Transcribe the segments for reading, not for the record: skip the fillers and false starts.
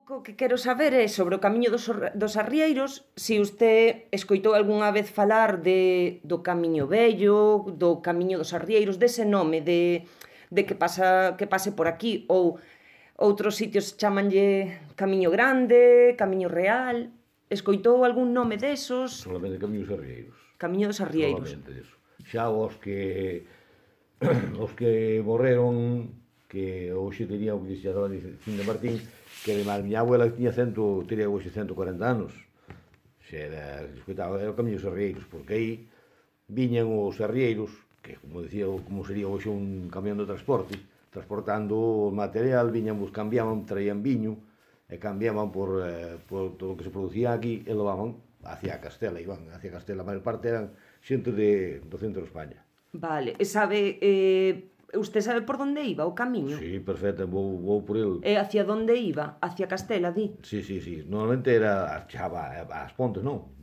co que quero saber é sobre o Camiño dos Arrieiros, se usted escoitou algunha vez falar do Camiño Vello, do Camiño dos Arrieiros, dese nome, de que pase por aquí, ou outros sitios chamanlle Camiño Grande, Camiño Real. Escoitou algún nome desos? Solamente Camiños Arrieiros. Camiño dos Arrieiros. Solamente eso. Xa os que morreron, que hoxe tenía o que xa estaba dicindo Martín, que además miña abuela teria hoxe 140 anos. Xa era o Camiño dos Arrieiros, porque aí viñan os arrieiros, que como sería hoxe un camión de transporte, transportando o material, cambiaban, traían viño, e cambiaban por todo o que se producía aquí, e levaban hacia Castela, iban hacia Castela. A maior parte eran xente do centro de España. Vale, e sabe, usted sabe por onde iba o camiño? Sí, perfecto, vou por el. E hacia onde iba? Hacia Castela, di? Sí, normalmente era chava as pontes, non?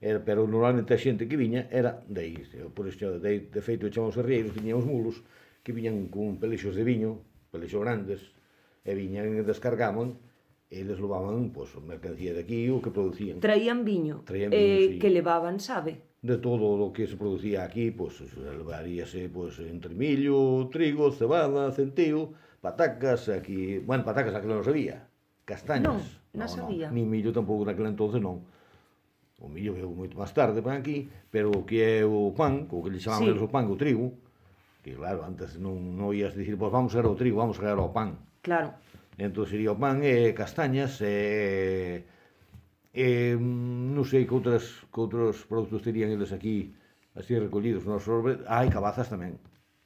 Pero normalmente a xente que viña era de aí. Por isto, de feito, chamamos arrieiros, viñan os mulos, que viñan con pelexos de viño, pelexos grandes, e viñan e descargaban, e eles levaban, pois, mercancía de aquí, o que producían. Traían viño? Traían viño, sí. Que levaban, sabe? De todo o que se producía aquí, pois, levaríase, pois, entre millo, trigo, cebada, centeo, patacas, aquí... Bueno, patacas aquilo non sabía. Castañas. Non sabía. Ni millo tampouco naquele entonces non. O millo veio moito máis tarde para aquí, pero o que é o pan, o que lhe chamaban eles o pan, o trigo, que claro, antes non ías dicir, pois vamos a o trigo, vamos a o pan. Claro. Entón sería o pan e castañas non sei que outros produtos terían eles aquí así recollidos. Hai cabazas tamén.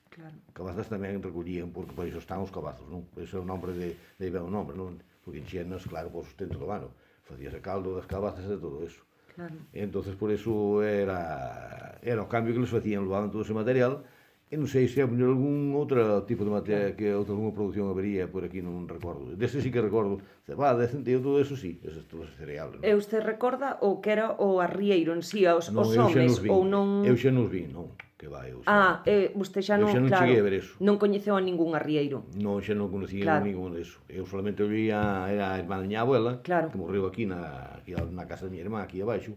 Claro. Cabazas tamén recollían, porque por iso están os cabazos, non? Por iso é o nombre de o nombre, non? Porque enxenas, claro, por sustento do ano. Facíase caldo das cabazas e todo eso. Claro. Entonces por iso era o cambio que les facían, levaban todo ese material. E non sei se algún outro tipo de material, que alguna produción habería por aquí, non recordo. Dese sí que recordo, cebada, centeo, todo eso sí, esos todos os cereales. E usted recorda o que era o arrieiro en sí, os homes, ou non... Eu xa nos vi, non, que vai. Usted xa non, claro. Eu xa non cheguei a ver eso. Non coñeceu a ningún arrieiro. Non, xa non conocía ningún deso. Eu solamente vía, era a irmá da miña abuela, que morreu aquí na casa da miña irmá, aquí abaixo,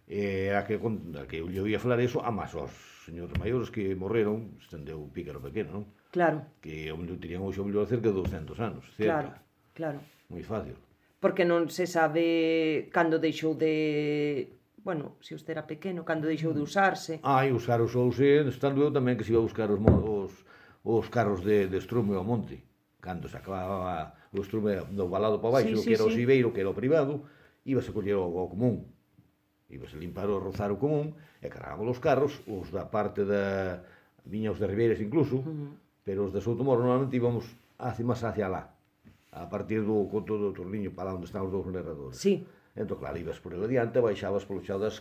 e a que eu lle oía falar eso, a máis os señores maiores que morreron, estendeu un pícaro pequeno, non? Claro. Que terían hoxe o mellor cerca de 200 anos, cerca. Claro. Moi fácil. Porque non se sabe cando deixou de... Bueno, se usted era pequeno, cando deixou de usarse. Usouse, estando eu tamén que se iba a buscar os carros de estrume ao monte. Cando se acababa o estrume do balado para baixo, que era o Sibeiro, que era o privado, íbase a coller o común. Ibas a limpar o rozar o común, e cargábamos os carros, os da parte da... viña os de Ribeiras incluso, pero os de Soutomoro normalmente íbamos máis hacia lá, a partir do conto do Torniño, para lá onde están os dous narradores. Sí. Entón, claro, ibas por el adiante, baixabas polo chao das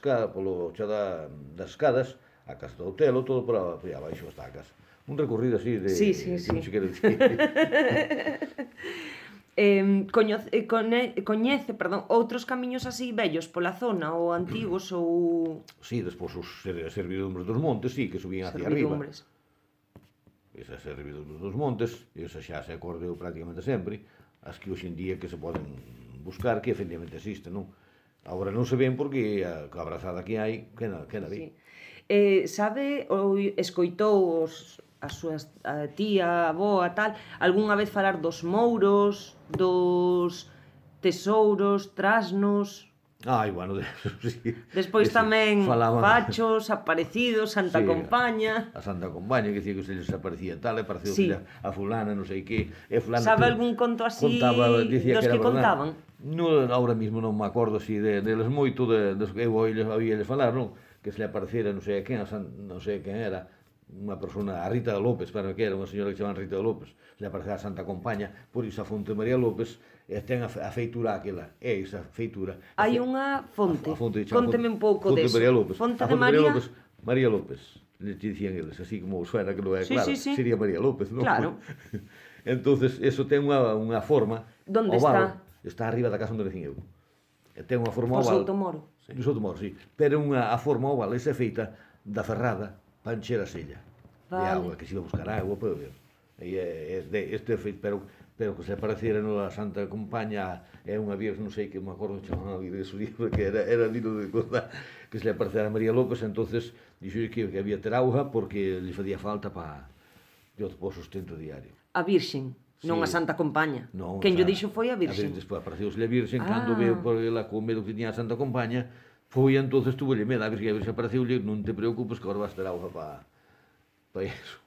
escadas, a casa do hotel, todo por aí abaixo hasta a casa. Un recorrido así de... Sí. Non se quere dicir. Coñece, outros camiños así vellos pola zona, ou antigos, ou... Sí, despois os servidumbres dos montes, sí, que subían hacia arriba. Esas servidumbres dos montes, esas xa se acordeu prácticamente sempre, as que hoxe en día que se poden buscar, que efectivamente existen, non? Agora non se ven porque a abrazada que hai, que na ve. Sabe, ou escoitou a súa tía, aboa, tal, algunha vez falar dos mouros, dos tesouros, trasnos... Bueno, sí. Despois tamén fachos, aparecidos, Santa Compaña... A Santa Compaña, que dicía que se les aparecía tal, e pareceu a fulana, non sei que... Sabe algún conto así dos que contaban? Ahora mismo non me acordo así deles moito, eu oíles falar, non? Que se le apareciera non sei quen, non sei quen era, unha persona, a Rita de López, para que era unha señora que se chamaban Rita de López, se le aparecía a Santa Compaña, por iso a fonte María López, ten a feitura aquela, é esa feitura. Hai unha fonte, conteme un pouco deso. Fonte de María López. María López, le dicían eles, así como suena que non é claro, sería María López, non? Claro. Entonces, eso ten unha forma Donde está? Está arriba da casa onde decín eu. Ten unha forma oval. O Soutomoro. No Soutomoro, sí. Pero a forma oval, esa é feita da ferrada para encher a sella de agua, que se iba a buscar agua, pero este é feito, pero pero que se pareciera a Santa Compaña é unha virgen, non sei que me acordo chamaban a virgen de su libro, que era digno de contar, que se le parecera a María López, entonces dixo que había ter auga porque lhe facía falta para o sustento diario. A Virxen, non a Sí. Santa Compaña. Non, Quen o lle sea, dixo foi a Virxen. Despois apareceuse a Virxen, cando veo por ela co medo que tiña a Santa Compaña, foi entonces tuvo medo, a Virxen apareceulle, non te preocupes que agora vas ter auga para iso,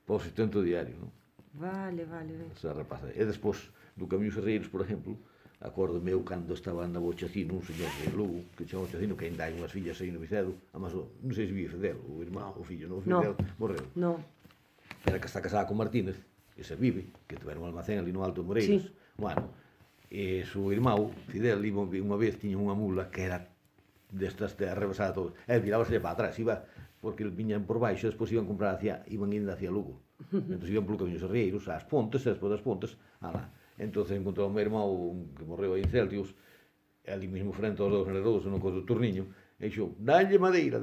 para o sustento diario, non? Vale. Esa rapaza. E despois, do Camiño Serreiros, por exemplo, acordo meu cando estaba andando o Chacino, un señor de Lugo, que chamaba Chacino, que ainda hai unhas fillas aí no Vicedo, además, non sei se vive Fidel, o irmão, o fillo, non, o Fidel, morreu. No. Era que está casada con Martínez, que se vive, que tiveron un almacén ali no Alto de Moreiros. Sí. Bueno, e su irmão, Fidel, iba unha vez, tiña unha mula que era destas de arrebasada todo, e virábase para atrás, iba, porque viñan por baixo, despois iban comprar iban indo hacia Lugo. Entón iban polo Camiño Serreiros, ás Pontes, e despois das Pontes, alá. Entón encontrou o meu irmão, que morreu aí en Celtius, ali mesmo frente aos dous generosos, no coso do Turniño, e dixo, dalle madeira,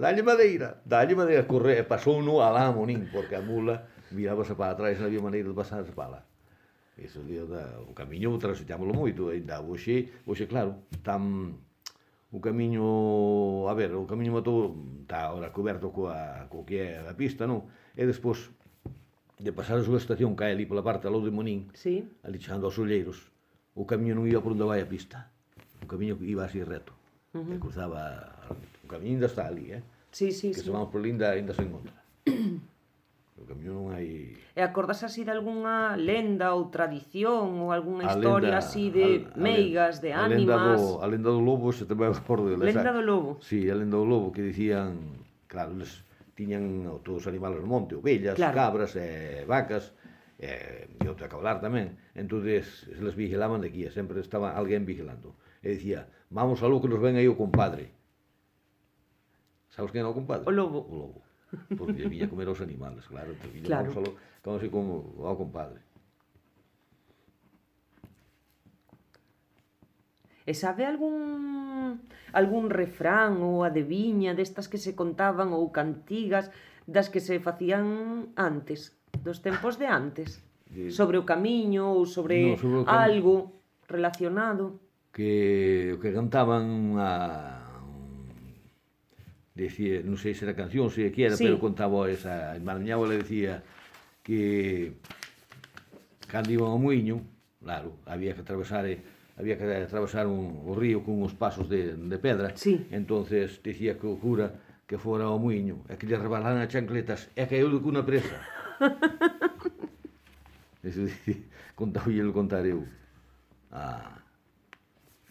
corre, e pasou no alá a Monín, porque a mula virábase para atrás, non había maneira de pasarse para lá. Eso o camiño transitámoslo moito, ainda hoxe claro, tan o camiño, a ver, o camiño matou, está agora coberto co que é a pista, non? E despois de pasar a súa estación, cae ali pola parte aló de Monín, Sí. ali chegando aos Olleiros, o camiño non iba por onde vai a pista, o camiño iba así reto, e cruzaba, o camiño ainda está ali, Sí. que se vamos por ali ainda se encontra. O camiño non hai... E acordas así de algunha lenda ou tradición ou algunha A historia lenda- así de meigas, de ánimas? A lenda do lobo, se te me acordo dela. Lenda do lobo? Sí, a lenda do lobo, que dicían, claro, eles tiñan todos os animales do monte, ovellas, Claro. cabras, vacas, e outro a cabalar tamén. Entonces, les vigilaban de aquí, sempre estaba alguén vigilando. E dicía, vamos aló que nos ven aí o compadre. Sabes quen era o compadre? O lobo. O lobo. Porque lle viña a comer aos animales, claro. Entonces, Claro. vamos aló, como así como ao compadre. E sabe algún refrán ou adiviña destas que se contaban ou cantigas das que se facían antes, dos tempos de antes? Sobre o camiño ou sobre, No, sobre o algo relacionado? Que cantaban decía, non sei se era canción, se que era, Sí. pero contaba esa, a miña abuela decía que cando iban ao muiño, claro, había que atravesar o río con uns pasos de pedra. Sí. Entonces decía que o cura que fora ao muiño e que lle rebalaran as chancletas e caeu de cunha presa. Eso contáballelo contar eu.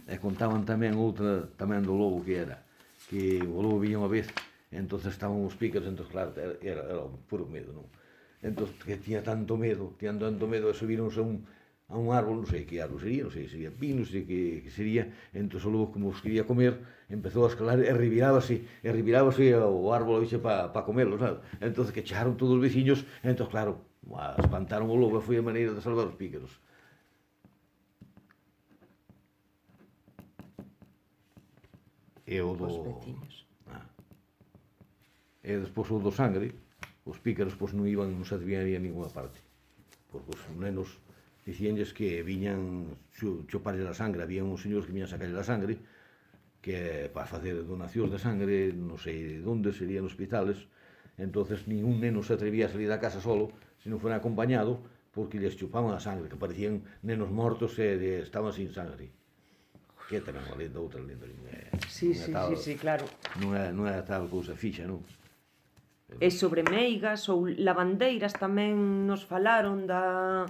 E contaban tamén outra tamén do lobo que era que o lobo viña unha vez e entonces estaban os pícaros, entón claro, era puro medo, non? Entón que tiña tanto medo e subironse a un árbol, non sei que árbol sería, non sei se sería pino, non sei que sería, entón o lobo como os quería comer, empezou a escalar e revirábase o árbol para comelo, sabe? Entón que chegaron todos os veciños, entón claro, espantaron o lobo e foi a maneira de salvar os pícaros. E o do... Os veciños. E despois o do sangre, os pícaros pois non se debían ir a ninguna parte, porque os nenos dicíanlles que viñan choparlle a sangre, había uns señores que viñan sacarlle a sangre, que para facer donacións de sangre, non sei de onde, serían hospitales, entonces ningún neno se atrevía a salir da casa solo, se non fuera acompañado, porque lles chupaban a sangre, que parecían nenos mortos e estaban sin sangre. Que tamén unha lenda, outra lenda. Sí, claro. Non é tal cousa fixa, non? E sobre meigas ou lavandeiras tamén nos falaron da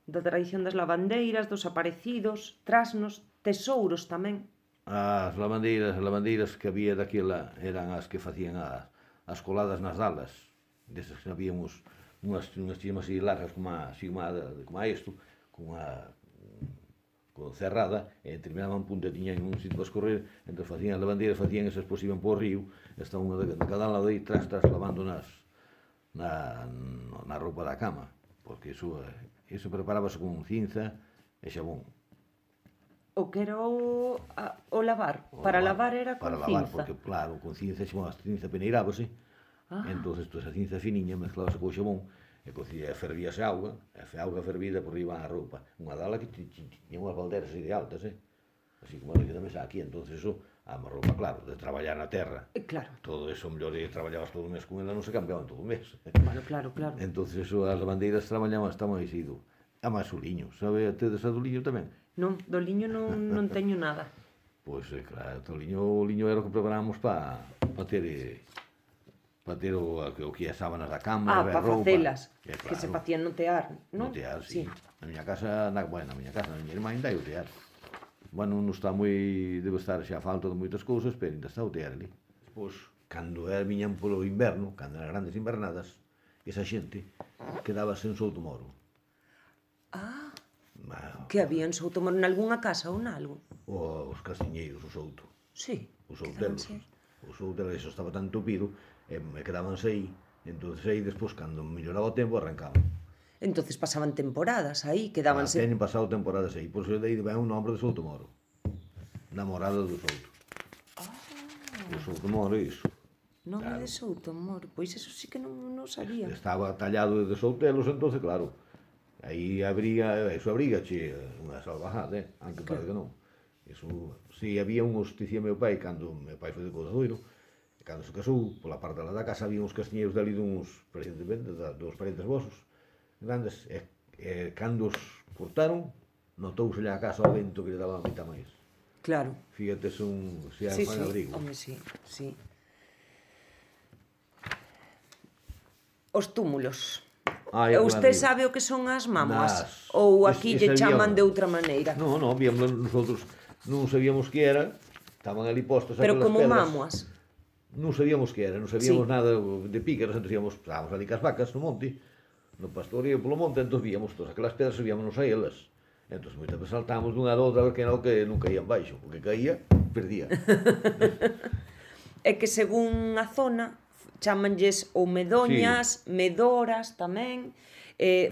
tradición das lavandeiras, dos aparecidos, trasnos, tesouros tamén. As lavandeiras que había daquela eran as que facían as coladas nas dalas. Desas que habíamos unhas chimas así largas como a isto, con cerrada, e terminaban punta, tiñan un sitio para escorrer, entón facían as lavandeiras, facían esas, pois iban por o río, estaban unha de cada lado aí, tras lavando na roupa da cama, porque iso preparábase con cinza e xabón. O que era o lavar? Para lavar era con cinza? Para lavar, porque claro, con cinza peneirábase, entón esa cinza finiña mezclábase co xabón, e cocía, fervíase auga, e auga fervida por riba a roupa. Unha dala que tiña unhas balderas así de altas, así como a que tamén aquí, entonces eso, a roupa, claro, de traballar na terra, Claro. todo eso, mellor traballabas todo o mes con ela, non se cambiaban todo o mes. Bueno, claro, claro. Entonces eso, as lavandeiras traballaban hasta máis ido. A máis o liño, sabe tedes a do liño tamén? Non, do liño non teño nada. Pois, claro, o liño era o que preparábamos para ter o que as sábanas da cama, Para roupa. facelas, Claro, que se facían no tear, non? no tear, sí. Na miña casa, na miña irmá ainda hai o tear. Bueno, non está moi, debe estar xa a falta de moitas cousas, pero ainda está o tear ali. Pois, cando viñan polo inverno, cando eran grandes invernadas, esa xente quedábase en Soutomoro. Que había en Soutomoro, nalgúnha casa ou nalgo? Os casiñeiros, o Souto. Sí, Os outelos. Os outelos, eso estaba tan tupido, e quedábanse aí. Entonces aí, despois, cando melloraba o tempo, arrancaban. Entonces pasaban temporadas aí, quedábanse... Teñen pasado temporadas aí, por iso de aí ven o nombre de Soutomoro. Namorado do Souto. O Soutomoro, iso. Nome de Soutomoro, pois eso sí que non sabía. Estaba tallado de Soutelos, entonces, claro, aí eso abrigache unha salvajada, aunque parece que non. Eso, si había uns, dicía meu pai, cando meu pai foi de Codadoiro, e cando se casou, pola parte da casa había uns castiñeiros dali duns parentes vosos, grandes, e cando os cortaron, notouse a casa ao vento que lle daba a mitad máis. Claro. Fíjate, se Sí, fan abrigo. home, sí. Os túmulos. Usted sabe o que son as mamuas? Ou aquí lle chaman de outra maneira? Non, nosotros non sabíamos que era, estaban ali postos pero aquelas como pedras. mamuas? Non sabíamos que era, non sabíamos nada de pícaros, entón estábamos ali cas vacas no monte, no pastorío polo monte, entón víamos todas aquelas pedras e víamos a elas. Entón moitas veces saltábamos dunha a outra a ver que era o que non caía en baixo, porque caía, perdía. É que según a zona, chamanlles ou medoñas, medoras tamén,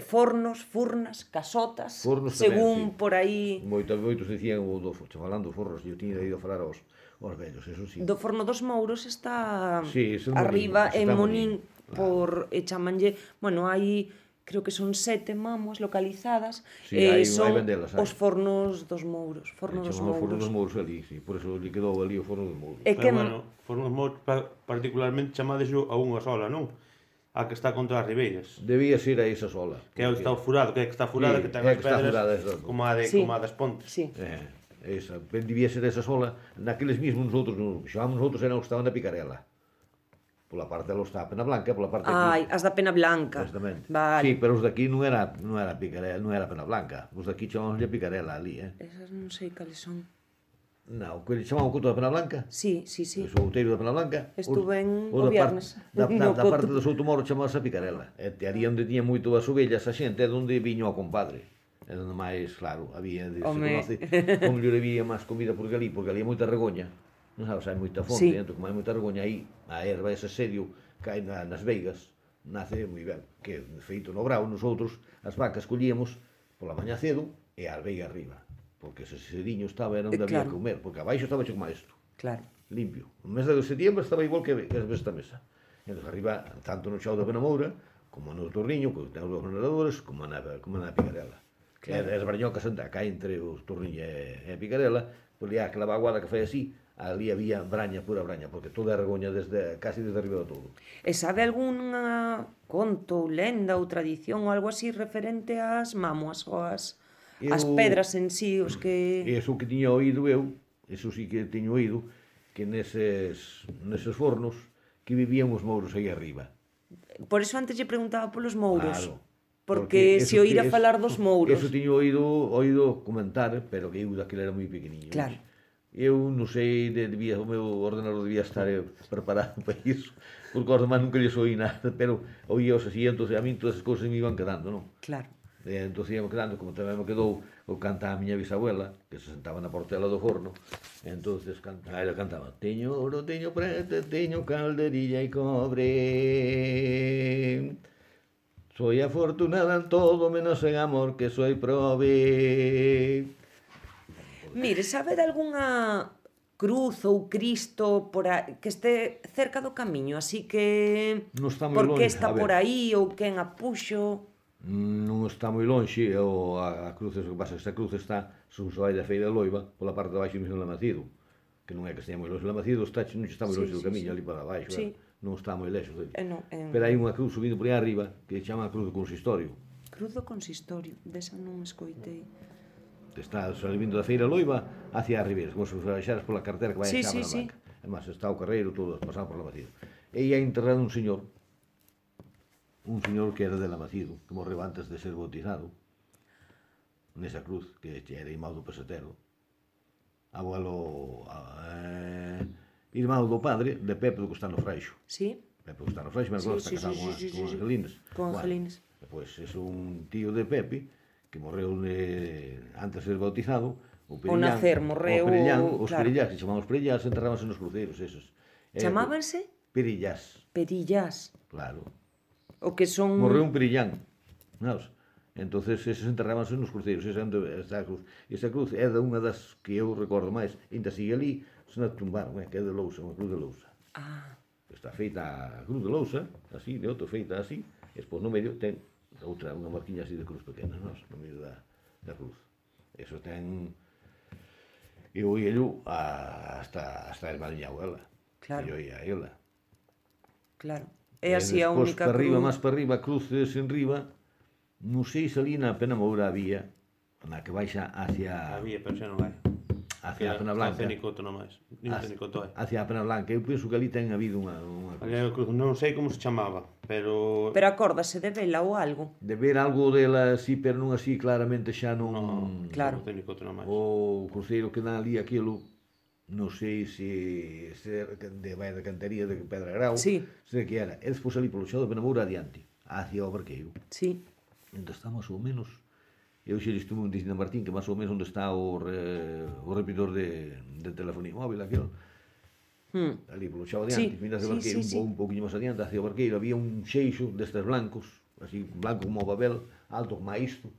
fornos, furnas, casotas, Fornos según tamén, sí. por aí... Moitos dicían, falando dos fornos, eu tiña ido a falar aos vellos, eso sí. Do forno dos Mouros está Monín, arriba en Monín, claro. Chamanlle, bueno, hai creo que son 7 mamuas localizadas, Sí, hai son vendelas, os fornos dos Mouros, forno dos Chamamos forno dos Mouros. Mouros ali, sí, por eso lle quedou ali o forno dos Mouros. E que Bueno, forno dos Mouros particularmente chamades a unha sola, non? A que está contra as ribeiras. Debía ser a esa sola. Que é o que está furado, que é que está furada, Sí, que ten é as que está furada, pedras exacto. como a das Pontes. Sí. Esa, debía ser esa sola. Naqueles mismos nosotros, xamámos nosotros eran os que estaban na Picarela. Pola parte los está a Pena Blanca, pola parte aquí. As da Pena Blanca. Exactamente. Vale. Sí, pero os de aquí non era Picarela, non era Pena Blanca. Os de aquí chamámoslle Picarela ali, Esas non sei cales son. Non, que chamaban o Couto da Pena Blanca. Sí. O outeiro da Pena Blanca. Estuve en o o viernes. Da parte do Soutomoro chamase a Picarela. E te haría onde tiña moito as ovellas a xente, é onde viño o compadre. É onde máis, claro, había, se conoce, como lle había máis comida por ali había moita regoña. Non sabes, hai moita fonte, entón, como hai moita regoña aí, a erva, ese serio, cae nas veigas, nace moi ben. Que, feito no brao, nosotros, as vacas collíamos pola mañá cedo e as veigas arriba. Porque ese sediño estaba, era onde había que comer, porque abaixo estaba hecho como isto. Claro. Limpio. No mes de setembro estaba igual que esta mesa. Entón, arriba, tanto no Chao da Penamoura, como no Torriño, que ten os dos generadores, como na Picarela. Claro. As brañocas acá entre os Torriño e a Picarela, pois ali aquela vaguada que fai así, ali había braña, pura braña, porque toda a regoña casi desde arriba do todo. E sabe algunha conto, lenda ou tradición ou algo así referente ás mamuas ou as pedras en sí, os que... Eso que tiña oído eu, eso sí que teño oído, que neses fornos que vivían os mouros aí arriba. Por eso antes lle preguntaba polos mouros. Claro. Porque se oíra falar dos mouros. Eso tiño oído comentar, pero que eu daquele era moi pequeniño. Claro. Eu non sei, o meu ordenador debía estar preparado para iso, porque aos demais nunca lles oí nada, pero oíos así, entón a mí todas as cousas me iban quedando, non? Claro. Entón íamos quedando, como tamén me quedou o canta a miña bisabuela, que se sentaba na portela do forno, entón ela cantaba: teño ouro, teño preto, teño calderilla e cobre, soy afortunada en todo menos en amor, que soy prove. Mire, sabe de algunha cruz ou Cristo que este cerca do camiño, así que Non está moi por que longe, está a ver. por aí ou quen a puxo? Non está moi lonxe, a cruz, o que pasa, esta cruz está, según se vai da Feira de Loiva, pola parte de baixo mesmo do Lamacido, que non é que estea moi longe do Lamacido, non está moi longe do camiño, ali para baixo, Sí. non está moi lexo dele. No, Pero hai unha cruz subindo por aí arriba, que se chama a cruz do consistorio, Cruz do Consistorio, desa non escoitei. que está salindo da Feira de Loiva hacia a Ribeira, como se baixaras pola carretera que vai Sí, a Xabra sí, sí. Blanca. Además, está o carreiro todo pasado por Lamacido. E aí hai enterrado un señor que era de Lamacido, que morreu antes de ser bautizado, nesa cruz, que era irmão do pesetero, irmão do padre de Pepe do Costano Freixo. Sí? Pepe do Costano Freixo, mas Sí, agora está sí, casado sí, con sí. Angelines. Con Angelines. Pois é un tío de Pepe, que morreu antes de ser bautizado, Ao nacer, morreu, os claro. perillás, se chamaban os perillás, enterrábanse nos cruceiros, esos. Chamábanse? Perillás, Perillás. claro. O que son... Morreu un perillán, sabes? Entonces eses enterrábanse nos cruceiros, esa a cruz. Esa cruz é de unha das que eu recordo máis, ainda sigue ali, se non tumbaron, que é de lousa, unha cruz de lousa. Ah, Está feita a cruz de lousa, así, de outro, feita así, e despois no medio ten outra, unha marquiña así de cruz pequena, no medio da cruz. Eso ten... Eu oíello hasta a irmá da miña abuela. Claro. Eu oía a ela. claro. É así a despois, única para arriba, cruz. máis para arriba, cruces en riba, non sei se ali na Penamoura había, na que baixa hacia Había, pero xa non hai. a Pena Blanca. Cenicoto nomás. Nin Cenicoto hai. Hacia a Pena Blanca. Eu penso que ali ten habido unha cruz. Non sei como se chamaba, pero... Pero acórdase de vela ou algo. De ver algo dela así, pero non así claramente xa non... Claro. Cenicoto nomás. O cruceiro que dá ali aquilo, non sei se de vai de Cantería de Pedra Grau, Sí. sei que era. E despois ali polo xao de Penamoura adiante, hacia o Barqueiro. Sí. Entón está máis ou menos, eu xe estuve un dicindo a Martín que máis ou menos onde está o repetidor de telefonía móvil, aquilo. Ali polo xao adiante, Sí, miras de sí, Barqueiro, sí, sí. un pouquinho máis adiante, hacia o Barqueiro, había un xeixo destes blancos, así, blanco como o papel, alto como isto,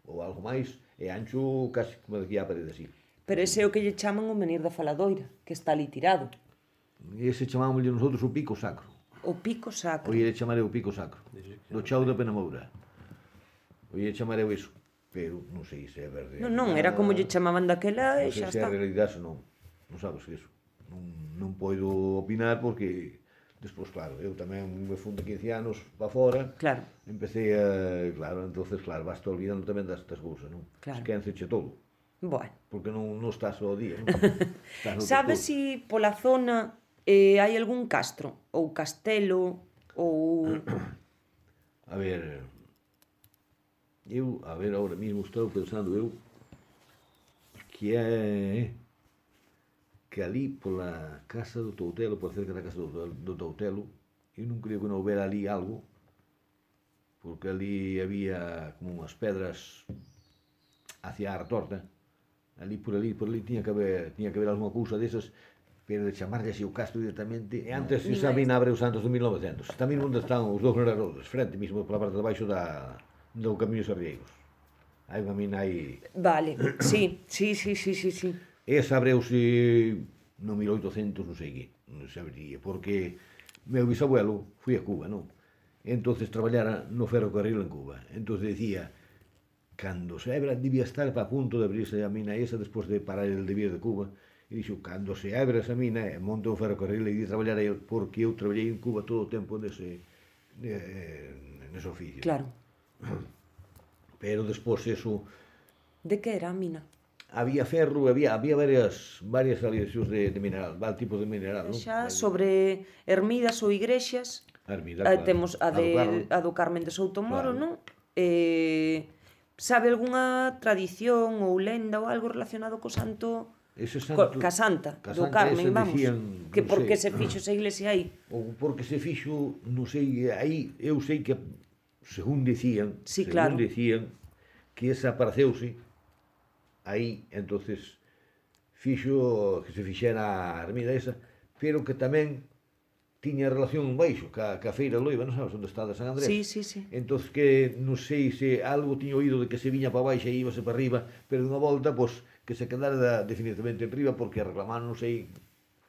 ou algo máis, e ancho casi como de aquí á parede así. Pero ese é o que lle chaman o menir da faladoira, que está ali tirado. E ese chamámoslle nosotros o pico sacro. O pico sacro. Oie de chamar o pico sacro, do chao da Penamoura. Oie de chamar eso, pero non sei se é verde. Non, era como lle chamaban daquela e Non sei xa se é está. realidade ou non. Non sabes que eso. Non podo opinar porque despois, claro, eu tamén me fun de 15 anos para fora. Claro. Empecé a, claro, entonces, claro, vas olvidando tamén destas cousas, non? Claro. Esquénceche todo, Bueno. porque non estás ao día, non? Estás noutras Sabes cousas. si pola zona hai algún castro ou castelo ou... A ver, ahora mismo estou pensando eu que é que ali pola casa do Toutelo, por cerca da casa do Toutelo, eu non creo que non houbera ali algo, porque ali había como unhas pedras hacia a retorta, ali por ali tiña que haber alguma cousa desas, pero de chamarlle así o castro directamente, e antes Ni esa máis. mina abre os Santos de 1900, está mesmo onde están os dous grarodos, frente mesmo pola parte de baixo do Camiño Sarrieiros. Hai unha mina aí. Vale, sí. Esa abreuse no 1800, non sei que, non sabería, porque meu bisabuelo foi a Cuba, non? Entonces traballara no ferrocarril en Cuba. Entonces decía, cando se abra, debía estar para punto de abrirse a mina esa despois de parar el de vir de Cuba, e dixo, cando se abra esa mina, monte o ferrocarril e de traballar aí, porque eu traballei en Cuba todo o tempo nese oficio. Claro. Pero despois eso... De que era a mina? Había ferro, había varias aleacións de mineral, varios tipos de mineral, non? Xa sobre ermidas ou igrexas, A ermida, claro. temos A do Carmen. a do Carmen de Soutomoro, Claro. non? Sabe algunha tradición ou lenda ou algo relacionado co santo... Ese santo... Ca Santa, Ca do Santa Carmen, ese vamos. decían, Que non por que sei. se fixo esa iglesia aí? Ou porque se fixo, non sei, aí eu sei que, según dicían, Sí, claro. que esa apareceuse aí, entonces fixo que se fixera a ermida esa, pero que tamén tiña relación baixo ca Feira de Loiva, non sabes onde está de San Andrés? Sí. Entonces que non sei se algo tiña oído de que se viña para baixo e íbase para arriba, pero dunha volta, pois, que se quedara definitivamente en riba porque reclamaron, non sei,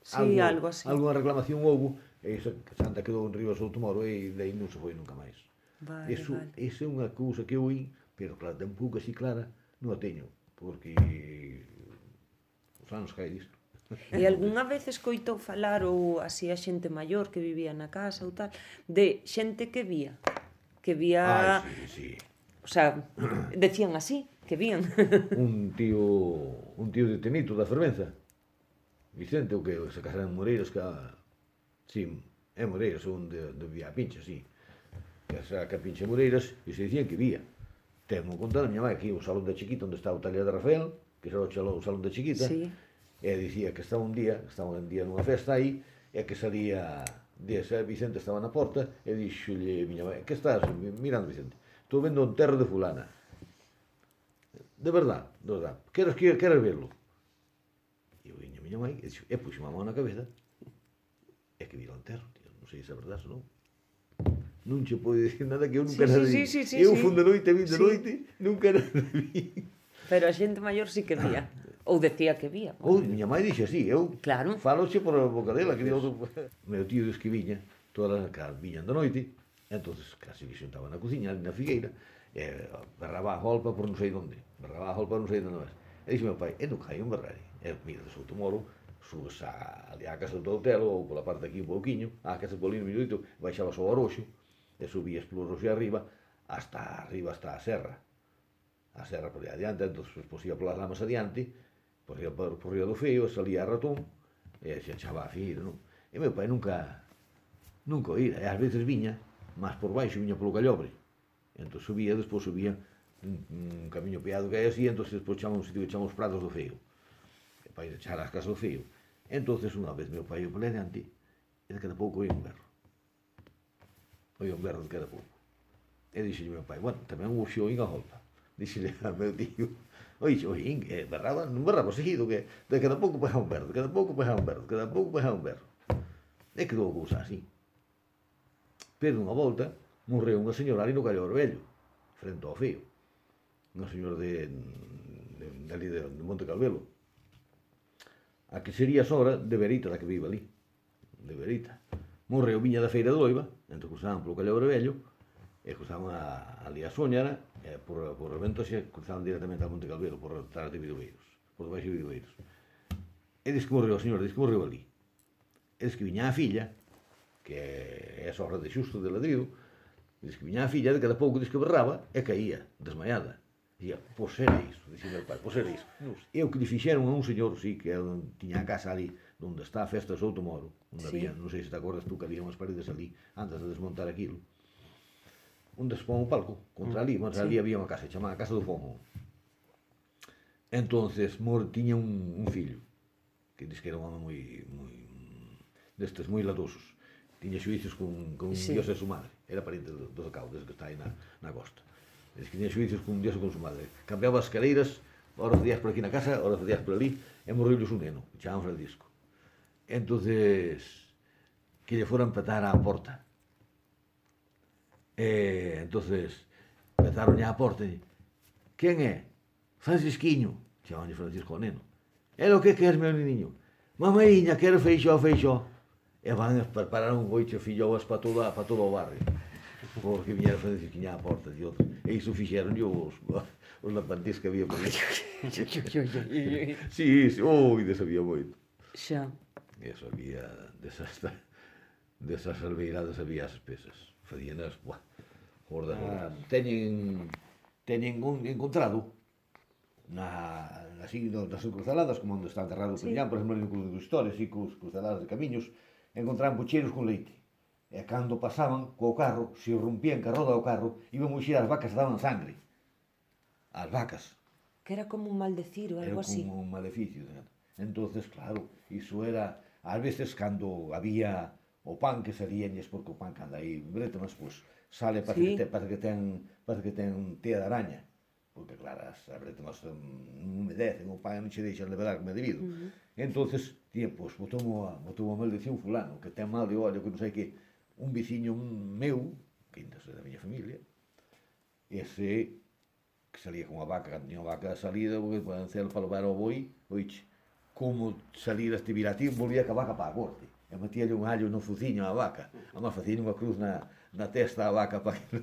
Sí, algo así. alguna reclamación houve, e iso, Santa quedou en riba Soutomoro e daí non se foi nunca máis. Vale, Eso, vale. esa é unha cousa que eu oí, pero claro, tampouco así clara non a teño, porque os anos cae disto. E algunha vez escoitou falar ou así a xente maior que vivía na casa ou tal, de xente que vía? Que vía... Ai, sí, sí. O sea, decían así, que vían. Un tío de Tenito da Fervenza, Vicente, o que se casaron en Moreiras, sí, é Moreiras, onde vía a Pincha, sí. Que a Pincha Moreiras, e se dicían que vía. Temos contado a miña mãe aquí o salón da Chiquita, onde está o taller de Rafael, que era o salón da Chiquita, Sí. e dicía que estaba un día nunha festa aí, e que salía Vicente estaba na porta, e dixolle miña mãe, que estás mirando, Vicente? Estou vendo o enterro de fulana. De verdad, queres verlo? E eu viña miña mãe, e puxo a mão na cabeza, e que vira o enterro, tío. Non sei se é verdade ou non. Non che pode dicir nada que eu nunca nada vi. Eu fun de noite, vin de noite, nunca nada vi. Pero a xente maior sí que vía. Ou decía que vía. Ou miña mãe dixe así, eu Claro. faloche por a boca dela, que outro... Meu tío diz que viña, todas as viñan de noite, entonces casi que xentaba na cociña, ali na figueira, e berraba a golpa por non sei onde, berraba a golpa non sei onde non é. E dixe meu pai, e nunca hai un berrari. E mira, de Soutomoro, subes ali á casa do hotel, ou pola parte aquí un pouquiño, á casa do Polino Minuto, baixabas ao Oroxo, e subías polo Oroxo arriba, hasta a serra. A serra por aí adiante, entón, pois ia polas lamas adiante, por Río do Feo, salía a Ratón, e se echaba a Fir, non? E meu pai nunca o ira, e ás veces viña, máis por baixo, viña polo Callobre. Entón despois subía un camiño peado que hai así, entón despois chama un sitio que chama os Prados do Feo. E para ir echar as casas do Feo. Entón, unha vez meu pai o por adiante, e de cada pouco oía un berro. Oía un berro de cada pouco. E dixelle meu pai, bueno, tamén o xoín a golpa. Dixelle a meu tío, oín, berraba, non berraba seguido, que de cada pouco pegaba un berro, de cada pouco pegaba un berro, de cada pouco pegaba un berro. E quedou a cousa así. Pero unha volta, morreu unha señora ali no Callobre Vello, frente ao Feo. Unha señora de Monte Calvelo. A que sería sogra de Verita, da que vive ali. De Verita. Morreu viña da Feira de Loiva, entón cruzaban polo Callobre Vello, e cruzaban ali a Sóñara, e por Ventoxe cruzaban directamente ao Monte Calvelo, por detrás de Vidoveiros, por debaixo de Vidoveiros. E diz que morreu a señora, diz que morreu ali. E diz que viña a filla, que é a sogra de Xusto de Ladrido, diz que viña a filla, de cada pouco diz que berraba, e caía, desmaiada. Dicía, pois era iso, dixía meu pai, pois era iso. E o que lle fixeron a un señor, sí, que tiña a casa ali, onde está a festa de Soutomoro, onde había, non sei se te acordas tú, que había unhas paredes ali, antes de desmontar aquilo, onde se pon un palco, contra ali, ali había unha casa, chamada Casa do Fomo. Entonces, tiña un fillo, que diz que era un home destes moi latosos. Tiña xuicios con Dios e su madre. Era pariente do Zacao, desde que está aí na costa. Diz que tiña xuicios con Dios e con su madre. Cambiaba as escaleiras, horas de días por aquí na casa, horas de días por ali, e morreules un neno, que chamaban Francisco. Entonces, que lle foran petar á porta. Entonces, pezaron á porta e quen é? Francisquiño, chamaban Francisco ao neno. É o que queres, meu niño? Mamaíña, quero feixó. E van a preparar un boicho filloas para todo o barrio. Porque viñera Francisquiña á porta de outros. E iso fixeron os lapantís que había por aí. Sí, desabía moito. Xa. Eso había, desas albeiradas había as espesas. Facíanas, gordas. Teñen encontrado nas encruzaladas, como onde está enterrado o Peñán, por exemplo, en Cruz de Historia, así, crucaladas de camiños, encontraban pucheiros con leite. E cando pasaban co carro, se rompían que a roda do carro, iban muxir as vacas e daban sangre. As vacas. Que era como un maldecir ou algo así. Era como un maleficio. Entonces, claro, iso era, ás veces, cando había o pan que salíanlles, porque o pan que anda aí brétemas, pois, sale, parece que ten tea de araña. Porque, claro, as brétemas non humedecen, o pan non che deixan levedar como é debido. Entonces, pois, botou a maldición fulano, que ten mal de ollo, que non sei que, un veciño meu, que ainda é da miña familia, ese que salía con a vaca, cando tiña a vaca de salida, porque para hacer para levar ao boi, oiche, como salir este virativo, volvía ca vaca para a corte. E metíalle un allo no fuciño á vaca. Además, facía unha cruz na testa á vaca para que...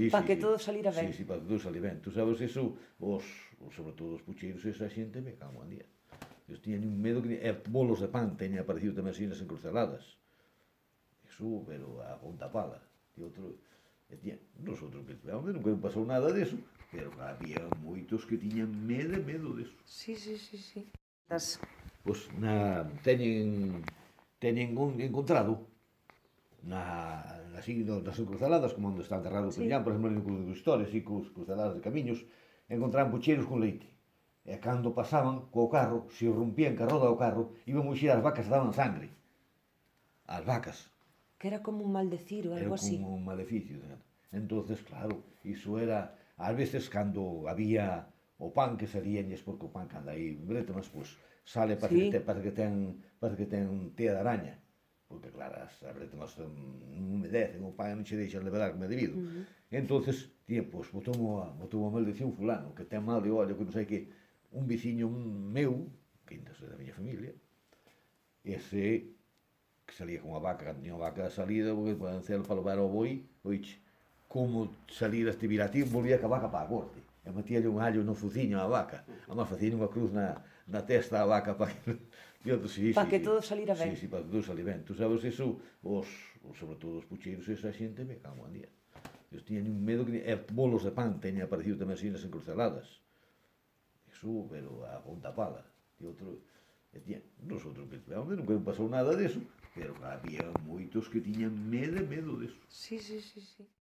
Para que todo salira ben. Sí, para que todo salira ben. Tú sabes iso, sobre todo os pucheiros, esa xente me cago en día. Eles tiñan un medo que... E bolos de pan teña aparecido tamén así nas encruceladas. Iso, pero a ponta pala. E outro... E tiña, nosotros que tivemos, nunca pasou nada deso, pero había moitos que tiñan medo deso. Sí. Pois teñen encontrado así nas encruceladas, como onde está enterrado o Peñán, por exemplo, en Cruz dos Historias e cos cruceladas de camiños, encontraban pucheiros con leite. E cando pasaban co carro, se rompían ca roda do carro, iban muxir as vacas e daban sangre. As vacas. Que era como un maldecir ou algo así. Era como un maleficio. Entonces, claro, iso era... Ás veces, cando había o pan que salíanlles, porque o pan que anda aí brétemas, pois sale, parece que ten tea de araña. Porque, claro, as brétemas non humedecen, o pan non che deixan levedar como é debido. Entonces, pois, botou unha maldición fulano, que ten mal de ollo, que non sei que, un veciño meu, que ainda é da miña familia, ese que salía con a vaca, cando tiña a vaca de salida, porque para hacer para levar ao boi, oiche, como salir este virativo, volvía ca vaca para a corte. E metíalle un allo no fuciño á vaca. Además, facía unha cruz na testa á vaca para que... Para que todo salira ben. Sí, para que todo salira ben. Tú sabes iso, sobre todo os pucheiros, esa xente me cago en día. Eles tiñan un medo que... E bolos de pan teña aparecido tamén así nas encruceladas. Iso, pero a ponta pala. E outro... E tiña, nosotros que tivemos, nunca pasou nada deso, pero había moitos que tiñan medo deso. Sí.